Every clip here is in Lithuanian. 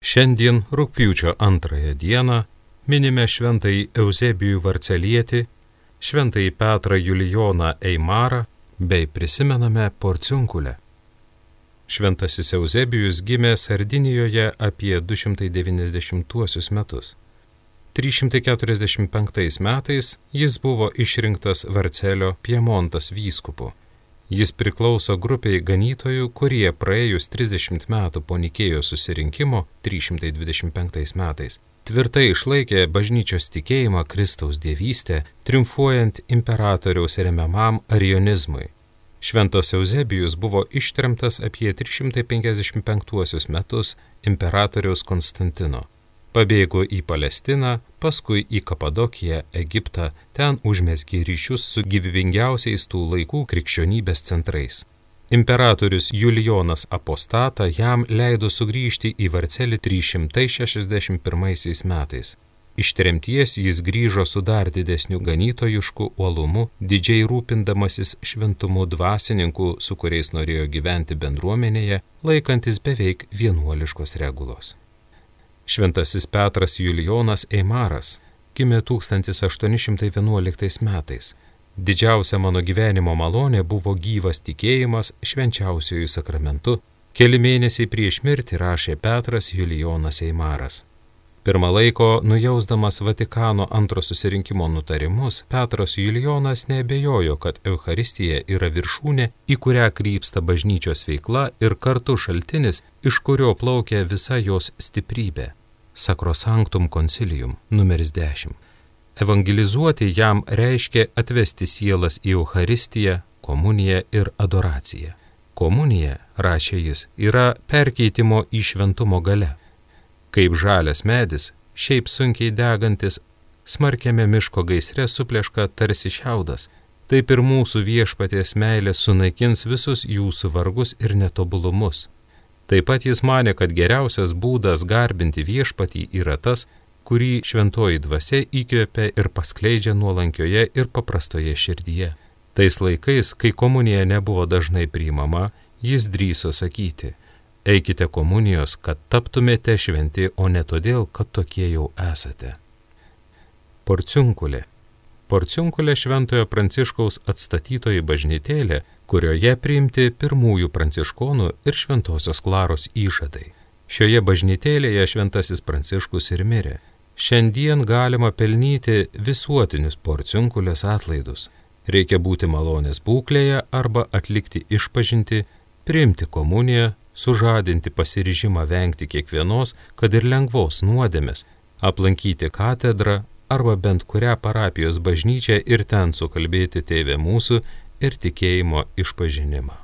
Šiandien rugpjūčio 2 dieną minime šventąjį Euzebijų Varcelietį, šventąjį Petrą Julijoną Eimarą bei prisimename Porciunkulę. Šventasis Euzebijus gimė Sardinijoje apie 290 metus. 345 metais jis buvo išrinktas Varcelio Piemontas vyskupu. Jis priklauso grupiai ganytojų, kurie praėjus 30 metų po Nikėjos susirinkimo 325 metais tvirtai išlaikė bažnyčios tikėjimą Kristaus dievystę, triumfuojant imperatoriaus remiamam arionizmui. Šventas Euzebijus buvo ištremtas apie 355 metus imperatoriaus Konstantino. Pabėgo į Palestiną, paskui į Kapadokiją, Egiptą, ten užmezgė ryšius su gyvybingiausiais tų laikų krikščionybės centrais. Imperatorius Julijonas Apostata jam leido sugrįžti į Varcelį 361 metais. Iš tremties jis grįžo su dar didesniu ganytojišku uolumu, didžiai rūpindamasis šventumu dvasininkų, su kuriais norėjo gyventi bendruomenėje, laikantis beveik vienuoliškos regulos. Šventasis Petras Julijonas Eimaras gimė 1811 metais. Didžiausia mano gyvenimo malonė buvo gyvas tikėjimas švenčiausiųjų sakramentu. Keli mėnesiai prieš mirtį rašė Petras Julijonas Eimaras. Pirmą laiko, nujausdamas Vatikano antro susirinkimo nutarimus, Petras Julijonas neabejojo, kad Eucharistija yra viršūnė, į kurią krypsta bažnyčios veikla ir kartu šaltinis, iš kurio plaukia visa jos stiprybė. Sacrosanctum Concilium numeris 10. Evangelizuoti jam reiškia atvesti sielas į Eucharistiją, komuniją ir adoraciją. Komunija, rašė jis, yra perkeitimo į šventumo galia. Kaip žalias medis, šiaip sunkiai degantis, smarkiame miško gaisre supleška tarsi šiaudas, taip ir mūsų viešpaties meilė sunaikins visus jūsų vargus ir netobulumus. Taip pat jis manė, kad geriausias būdas garbinti viešpatį yra tas, kurį šventoji dvasia įkvepia ir paskleidžia nuolankioje ir paprastoje širdyje. Tais laikais, kai komunija nebuvo dažnai priimama, jis drįso sakyti: eikite komunijos, kad taptumėte šventi, o ne todėl, kad tokie jau esate. Porciunkulė. Porciunkulė šventojo Pranciškaus atstatytoji bažnytėlė, kurioje priimti pirmųjų pranciškonų ir šventosios Klaros įžadai. Šioje bažnytėlėje šventasis Pranciškus ir mirė. Šiandien galima pelnyti visuotinius Porciunkulės atlaidus. Reikia būti malonės būklėje arba atlikti išpažintį, priimti komuniją, sužadinti pasiryžimą vengti kiekvienos, kad ir lengvos nuodėmės, aplankyti katedrą arba bent kurią parapijos bažnyčią ir ten sukalbėti Tėve mūsų ir tikėjimo išpažinimą.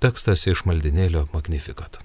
Tekstas iš maldinėlio Magnificat.